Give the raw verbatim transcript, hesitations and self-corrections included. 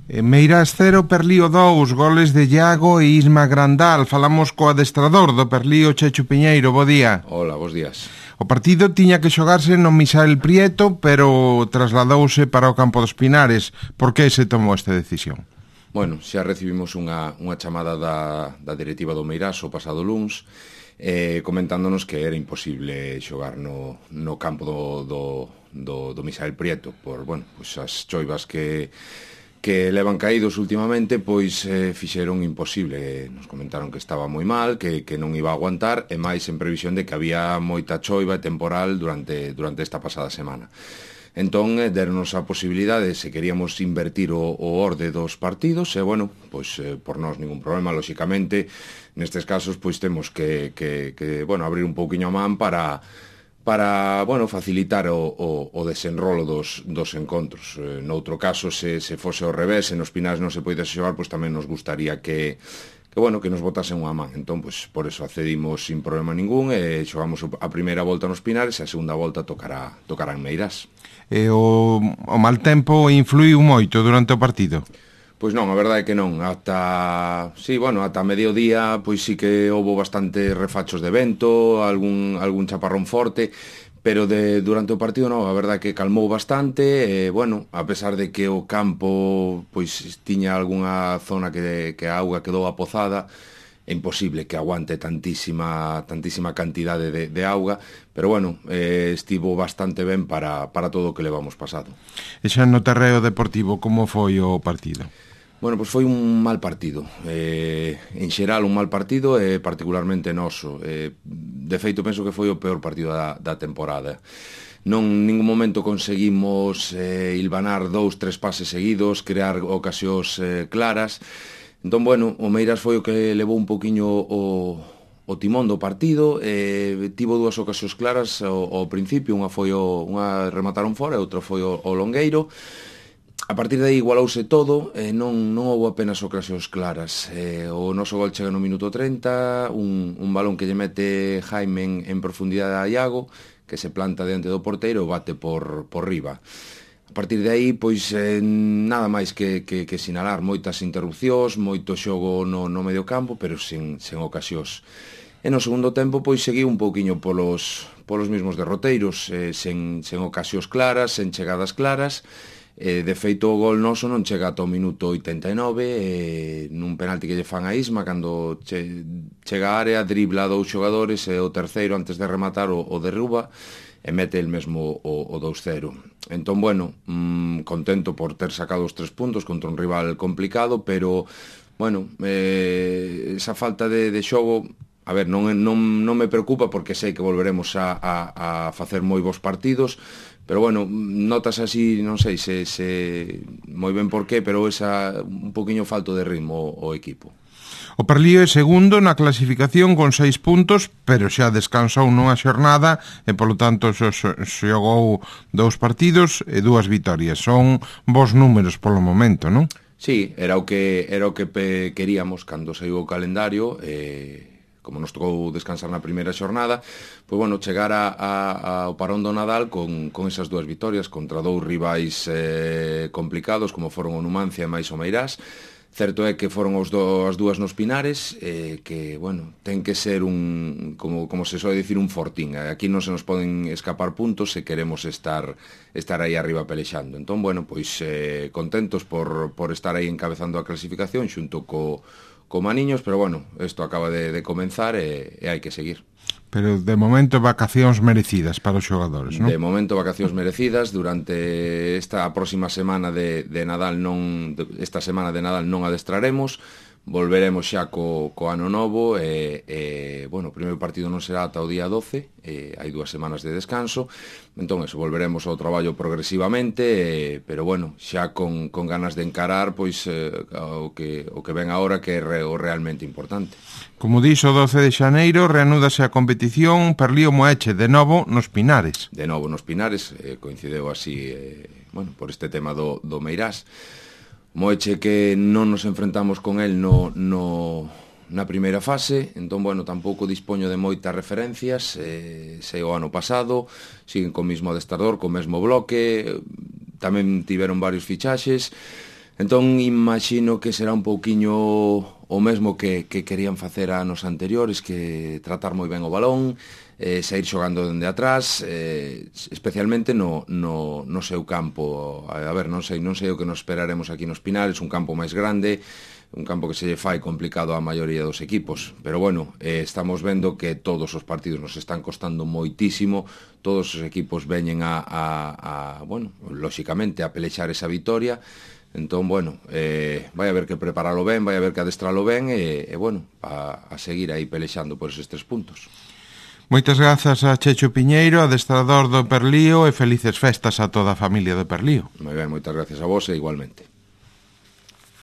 Eh, Meirás cero, Perlío dous, goles de Iago e Isma Grandal. Falamos co adestrador do Perlío, Chechu Piñeiro, bo día. Hola, bos días. O partido tiña que xogarse no Misael Prieto, pero trasladouse para o campo dos Pinares. Por que se tomou esta decisión? Bueno, xa recibimos unha, unha chamada da, da directiva do Meirás o pasado luns, eh, comentándonos que era imposible xogar no, no campo do, do, do, do Misael Prieto por, bueno, pues as choivas que que levan caídos últimamente, pois eh, fixeron imposible. Nos comentaron que estaba moi mal, que, que non iba a aguantar, e máis en previsión de que había moita choiva e temporal durante, durante esta pasada semana. Entón, eh, deronos a posibilidade, se queríamos invertir o, o orde dos partidos, e, bueno, pois, eh, por nós ningún problema, lóxicamente, nestes casos, pois, temos que, que, que bueno, abrir un pouquiño a man para... para, bueno, facilitar o, o, o desenrolo dos, dos encontros. Eh, noutro caso, se, se fose ao revés, se nos Pinares non se poidese xogar, pois tamén nos gustaría que, que, bueno, que nos botasen unha man. Entón, pois, por eso accedimos sin problema ningún e xogamos a primeira volta nos Pinares e a segunda volta tocará, tocará en Meirás. E o, o mal tempo influiu moito durante o partido? Pois non, a verdade é que non, ata, sí, bueno, ata mediodía, pois sí que houbo bastantes refachos de vento, algún, algún chaparrón forte, pero de, durante o partido non, a verdade é que calmou bastante, e, bueno, a pesar de que o campo, pois, tiña algunha zona que, que a auga quedou apozada, é imposible que aguante tantísima, tantísima cantidade de, de auga, pero bueno, eh, estivo bastante ben para, para todo o que levamos pasado. E xa no terreo deportivo, como foi o partido? Bueno, pois foi un mal partido, eh, en xeral un mal partido e particularmente noso. Eh, de feito, penso que foi o peor partido da, da temporada. Non en ningún momento conseguimos eh, hilvanar dous, tres pases seguidos, crear ocasións eh, claras. Entón, bueno, o Meirás foi o que levou un poquinho o, o timón do partido, eh, tivo dúas ocasións claras ao, ao principio, unha foi o, unha remataron fora e outra foi o, o Longueiro. A partir de aí igualouse todo, eh, non, non houve apenas ocasións claras. Eh, o noso gol chega no minuto trinta, un, un balón que lle mete Jaime en, en profundidade a Iago, que se planta diante do porteiro e bate por, por riba. A partir de aí, pois, eh, nada máis que, que, que sinalar moitas interrupcións, moito xogo no, no medio campo, pero sen, sen ocasións. E no segundo tempo, pois, seguiu un pouquiño polos, polos mesmos derroteiros, eh, sen, sen ocasións claras, sen chegadas claras. Eh, de feito, o gol noso non chega ata o minuto oitenta e nove, eh, nun penalti que lle fan a Isma, cando che, chega a área, dribla a dous xogadores, e o terceiro, antes de rematar, o, o derruba, e mete el mesmo o, o dous cero. Entón, bueno, mmm, contento por ter sacado os tres puntos contra un rival complicado, pero, bueno, eh, esa falta de, de xogo, a ver, non, non, non me preocupa, porque sei que volveremos a, a, a facer moi bons partidos, pero, bueno, notas así, non sei se, se moi ben por qué, pero esa un poquinho falto de ritmo o, o equipo. O Perlío é segundo na clasificación con seis puntos, pero xa descansou nunha xornada e, polo tanto, xogou dous partidos e dúas vitorias. Son bons números polo momento, non? Sí, era o que era o que pe queríamos cando saiu o calendario, eh, como nos tocou descansar na primeira xornada, pois, bueno, chegar a, a, ao parón do Nadal con, con esas dúas vitorias contra dous rivais eh, complicados, como foron o Numancia e máis o Meirás. Certo é que foron os do, as dúas nos Pinares, eh, que, bueno, ten que ser un, como, como se soe dicir, un fortín. Aquí non se nos poden escapar puntos se queremos estar estar aí arriba pelexando. Entón, bueno, pois eh, contentos por, por estar aí encabezando a clasificación xunto co, co Maniños, pero, bueno, isto acaba de, de comenzar e, e hai que seguir. Pero, de momento, vacacións merecidas para os xogadores, non? De momento, vacacións merecidas. Durante esta próxima semana de, de Nadal non esta semana de Nadal non adestraremos. Volveremos xa co, co ano novo e, e, bueno, o primeiro partido non será ata o día doce, e hai dúas semanas de descanso. Entón, eso, volveremos ao traballo progresivamente, e, pero, bueno, xa con, con ganas de encarar, pois, eh, o, que, o que ven agora, que é re, o realmente importante. Como dixo, o doce de xaneiro reanúdase a competición Perlío Moeche, de novo nos Pinares. De novo nos Pinares, eh, coincideu así, eh, bueno, por este tema do, do Meirás. Moeche que non nos enfrentamos con el no, no, na primeira fase, entón, bueno, tampouco dispoño de moitas referencias, eh, sei o ano pasado, siguen co mesmo adestrador, co mesmo bloque, tamén tiveron varios fichaxes, Entón, imagino que será un pouquiño o mesmo que, que querían facer anos anteriores, que tratar moi ben o balón, eh, sair xogando dende atrás, eh, especialmente no, no, no seu campo. A ver, non sei, non sei o que nos esperaremos aquí nos Pinales, un campo máis grande, un campo que se lle fai complicado á maioría dos equipos, pero bueno, eh, estamos vendo que todos os partidos nos están costando moitísimo, todos os equipos veñen a, a, a bueno, lóxicamente a pelexar esa vitoria. Entón, bueno, eh, vai haber que preparalo ben, vai haber que adestralo ben e, e bueno, a, a seguir aí pelexando por eses tres puntos. Moitas grazas a Checho Piñeiro, adestrador do Perlío, e felices festas a toda a familia do Perlío. Moi ben, moitas gracias a vos e igualmente.